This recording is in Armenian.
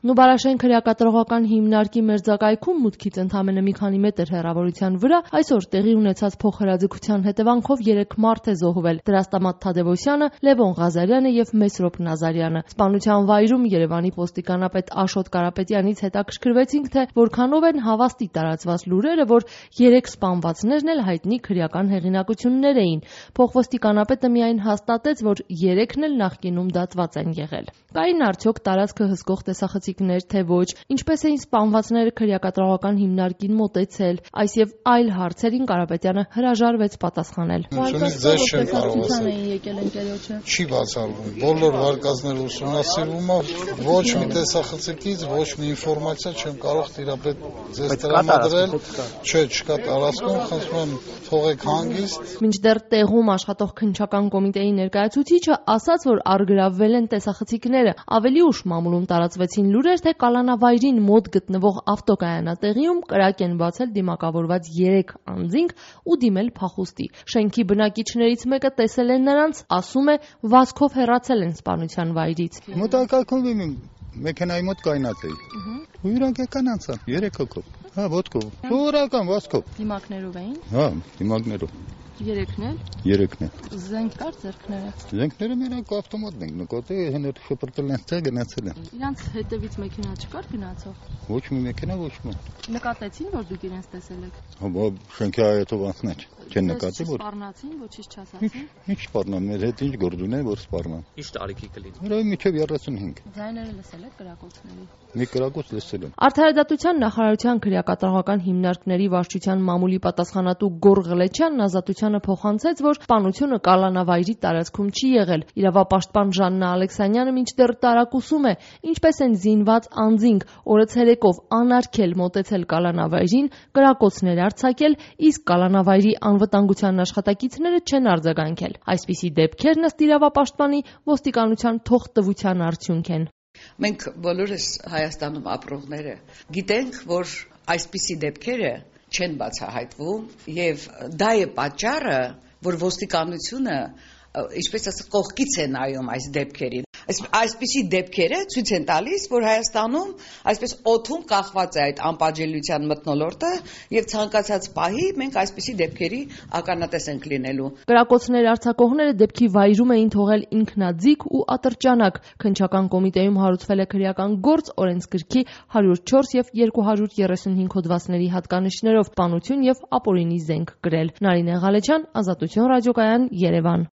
Նուբարաշեն քրեակատարողական հիմնարկի մերձակայքում մուտքից ընդամենը մի քանի մետր հեռավորության վրա այսօր տեղի ունեցած փոխհրաձգության հետևանքով 3 մարդ է զոհվել՝ Դրաստամատ Թադևոսյանը, Լևոն Ղազարյանը եւ Մեսրոպ Նազարյանը։ Սպանության վայրում Երևանի ոստիկանապետ Աշոտ Կարապետյանից հետաքրքրվեցինք, թե որքանով են հավաստի տարածված լուրերը, որ 3 սպանվածներն էլ հայտնի քրեական հեղինակություններ էին։ Փոխոստիկանապետը միայն հաստատեց, որ 3-ն էլ նախկինում դատված են եղել։ Կային արդյոք տարածքը հսկող տեսախցիկներ, թե ոչ, ինչպես էին սպանվածները քրեակատարողական հիմնարկին մոտեցել, այս եւ այլ հարցերին Կարապետյանը հրաժարվեց պատասխանել։ Չի բացառվում, բոլոր վարկածները ուսումնասիրվում է, ոչ մի տեսախցիկից, ոչ մի ինֆորմացիա չեմ կարող տիրապետ ձեզ տրամադրել, չկա տարածքում, խնդրում եմ թողեք հանգիստ։ Մինչդեռ տեղում աշխատող քննչական կոմիտեի ներկայացուցիչը ասաց, որ առգրավվել են տեսախցիկները, ավելի ուշ մամուլում տարածվեցին լուրեր, թե կալանավայրին մոտ գտնվող ավտոկայանատեղիում կրակ են բացել դիմակավորված 3 անձինք ու դիմել փախուստի։ Շենքի բնակիչներից մեկը տեսել է նրանց, ասում է, վազքով հեռացել են սպանության վայրից։ Մոտակայքում մեքենայի մոտ կայնած էի։ Ու իրանք եկան անցան 3 հոգով։ Հա, ոտքով։ Սովորական վազքով։ Դիմակներով էին։ Հա, դիմակներով։ 3-ն էլ։ 3-ն էլ։ Զենք կար ձեռքները։ Զենքները մենակ ավտոմատն են նկատել, հենց շպրտել են ցա գնացել են։ Իրանց հետևից մեքենա չկար գնացող։ Ոչ մի մեքենա, ոչ մի։ Նկատեցին, որ դուք իրենց տեսել եք։ Հա, շենքի այետով անցնաչ։ Չեն նկատի, որ սպառնացին, ոչինչ չասացին։ Ինչ սպառնան, մեր հետ ինչ գործ ունեն, որ սպառնան։ Ինչ տարիքի կլինի։ Հələ միջև 35։ Ձայները լսել եք կրակոցների։ Մի կրակոց լսել եմ։ Արդարադատության նախարարության քրեակատարողական հիմնարկների վարչության մամուլի պատասխանատու Գոր Ղլեչյանն ազատությանը փոխանցեց, որ սպանությունը կալանավայրի տարածքում չի եղել։ Իրավապաշտպան Ժաննա Ալեքսանյանը մինչդեռ տարակուսում է, ինչպես են զինված անձինք օրը ցերեկով անարգել մոտեցել կալանավայրին, կրակոցներ արձակել, իսկ կալանավայրի անվտանգության աշխատակիցները չեն արձագանքել։ Այսպիսի դեպքեր ըստ իրավապաշտպանի ոստիկանության թողտվության արդյունք են։ Մենք բոլորս Հայաստանում ապրողները գիտենք, որ այսպիսի դեպքերը չեն բացահայտվում եւ դա է պատճառը, որ ոստիկանությունը ինչպես ասած կողքից է նայում այս դեպքերին։ Այսպիսի դեպքերը ցույց են տալիս, որ Հայաստանում այսպես օդում կախված է այդ անպատժելիության մթնոլորտը եւ ցանկացած պահի մենք այսպիսի դեպքերի ականատես ենք լինելու։ Կրակոցներ արձակողները դեպքի վայրում էին թողել ինքնաձիգ ու ատրճանակ։ Քննչական կոմիտեում հարուցվել է քրեական գործ օրենսգրքի 104 եւ 235 հոդվածների հատկանիշներով սպանություն եւ ապօրինի զենք կրել։ Նարինե Ղալեչյան, Ազատություն ռադիոկայան, Երևան։